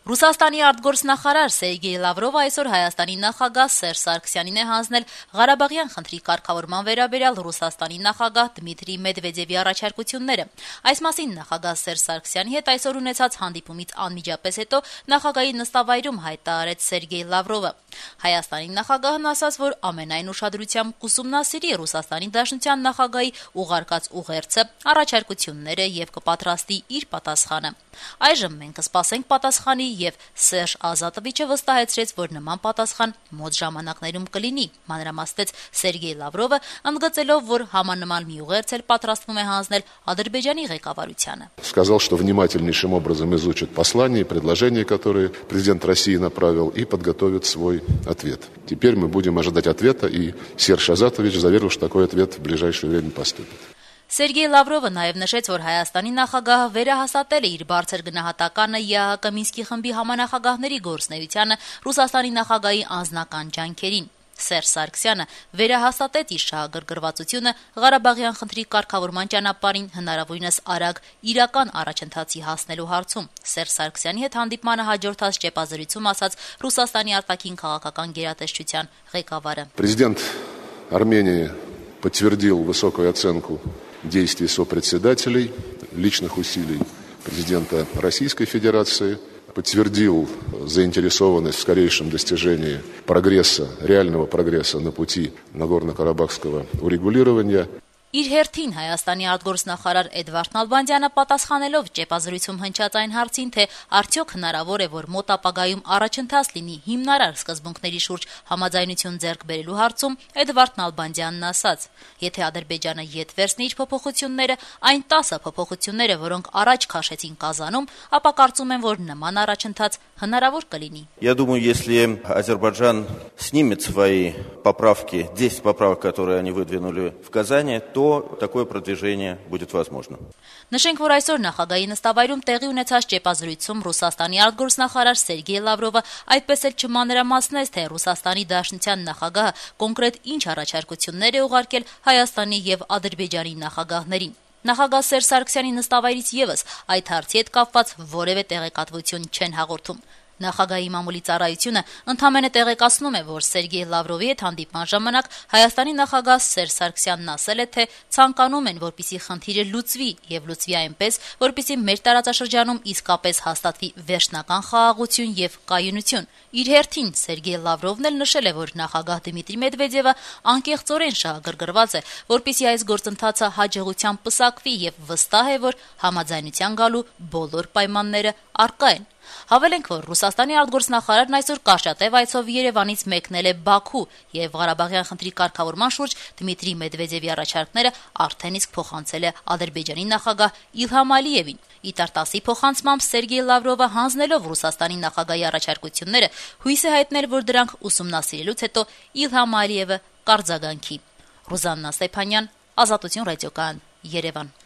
Ռուսաստանի արտգործնախարար Սերգեյ Լավրովը այսօր Հայաստանի նախագահ Սերժ Սարգսյանին է հանձնել Ղարաբաղյան խնդրի կարգավորման վերաբերյալ Ռուսաստանի նախագահ Դմիտրի Մեդվեդևի առաջարկությունները։ Այս մասին նախագահ Սերժ Սարգսյանի հետ այսօր ունեցած հանդիպումից անմիջապես հետո նախագահի նստավայրում հայտարարեց Սերգեյ Լավրովը։ Հայաստանի նախագահն ասաց, որ ամենայն ուշադրությամբ կուսումնասիրի Ռուսաստանի Դաշնության նախագահի ուղարկած ուղերձը, առաջարկությունները եւ կպատրաստի իր պատասխանը։ Այժմ մենք կսպասենք պատասխանի եւ Սերժ Ազատովիչը վստահեցրեց, որ նման պատասխան մոտ ժամանակներում կլինի, մանրամասնեց Սերգեյ Լավրովը, ընդգծելով, որ համանման մի ուղերձ էլ պատրաստվում է հանձնել Ադրբեջանի ղեկավարությանը։ Сказал, что внимательнейшим образом изучит послания и предложения, которые президент России направил, и подготовит свой ответ. Теперь мы будем ожидать ответа, и Серж Азатович заверил, что такой ответ в ближайшее время поступит. Սերգեյ Լավրովը նաև նշեց, որ Հայաստանի նախագահը վերահաստատել է իր բարձր գնահատականը ԵԱՀԿ Մինսկի խմբի համանախագահների գործունեությանը Ռուսաստանի նախագահի անձնական ջանքերին։ Սերժ Սարգսյանը վերահաստատեց իր շահագրգռվածությունը Ղարաբաղյան խնդրի կարգավորման ճանապարհին հնարավորինս արագ իրական առաջընթացի հասնելու հարցում։ Սերժ Սարգսյանի հետ հանդիպմանը հաջորդած ճեպազրույցում ասաց Ռուսաստանի արտաքին քաղաքական գերատեսչության ղեկավարը։ Президент Армении подтвердил высокую оценку действий сопредседателей, личных усилий президента Российской Федерации, подтвердил заинтересованность в скорейшем достижении прогресса, реального прогресса на пути Нагорно-Карабахского урегулирования. Իր հերթին Հայաստանի արտգործնախարար Էդվարդ Նալբանդյանը պատասխանելով ճեպազրույցում հնչած այն հարցին, թե արդյոք հնարավոր է, որ մոտ ապագայում առաջընթաց լինի հիմնարար սկզբունքների շուրջ համաձայնություն ձեռք բերելու հարցում, Էդվարդ Նալբանդյանն ասաց. եթե Ադրբեջանը ետ վերցնի իր փոփոխությունները, այն 10 փոփոխությունները, որոնք առաջ քաշեցին Կազանում, ապա կարծում եմ, որ նման առաջընթաց հնարավոր կլինի։ Я думаю, если Азербайджан снимет свои поправки, 10 поправок, которые они выдвинули в Казани, то такое продвижение будет возможно. Նշենք, որ այսօր նախագահի նստավայրում տեղի ունեցած ճեպազրույցում Ռուսաստանի արտգործնախարար Սերգեյ Լավրովը այդպես էլ չմանրամասնեց, թե Ռուսաստանի Դաշնության նախագահը կոնկրետ ինչ առաջարկություններ է ուղարկել Հայաստանի եւ Ադրբեջանի նախագահներին։ Նախագահ Սերժ Սարգսյանի նստավայրից եւս այդ հարցի հետ կապված որևէ տեղեկատվություն չեն հաղորդում։ Նախագահի մամուլի ծառայությունը ընդհանրապես տեղեկացնում է, որ Սերգեյ Լավրովի հետ հանդիպման ժամանակ Հայաստանի նախագահ Սերժ Սարգսյանն ասել է, թե ցանկանում են, որպեսզի խնդիրը լուծվի եւ լուծվի այնպես, որպեսզի մեր տարածաշրջանում իսկապես հաստատվի վերջնական խաղաղություն եւ կայունություն։ Իր հերթին Սերգեյ Լավրովն էլ նշել է, որ նախագահ Դմիտրի Մեդվեդևը անկեղծորեն շահագրգռված է, որպեսզի այս գործընթացը հաջողությամբ պսակվի եւ վստահ է, որ համաձայնության գալու բոլոր պայմանները առկա են։ Հավելենք, որ Ռուսաստանի արտգործնախարարն այսօր կարճատև այցով Երևանից մեկնել է Բաքու եւ Ղարաբաղյան խնդրի կարգավորման շուրջ Դմիտրի Մեդվեդևի առաջարկները արդեն իսկ փոխանցել է Ադրբեջանի նախագահ Իլհամ Ալիևին։ Իտարտասի փոխանցմամբ Սերգեյ Լավրովը հանձնելով Ռուսաստանի նախագահի առաջարկությունները հույս է հայտնել, որ դրանք ուսումնասիրելուց հետո Իլհամ Ալիևը կարձագանքի։ Ռուզաննա Ստեփանյան, Ազատություն ռադիոկայան, Երևան։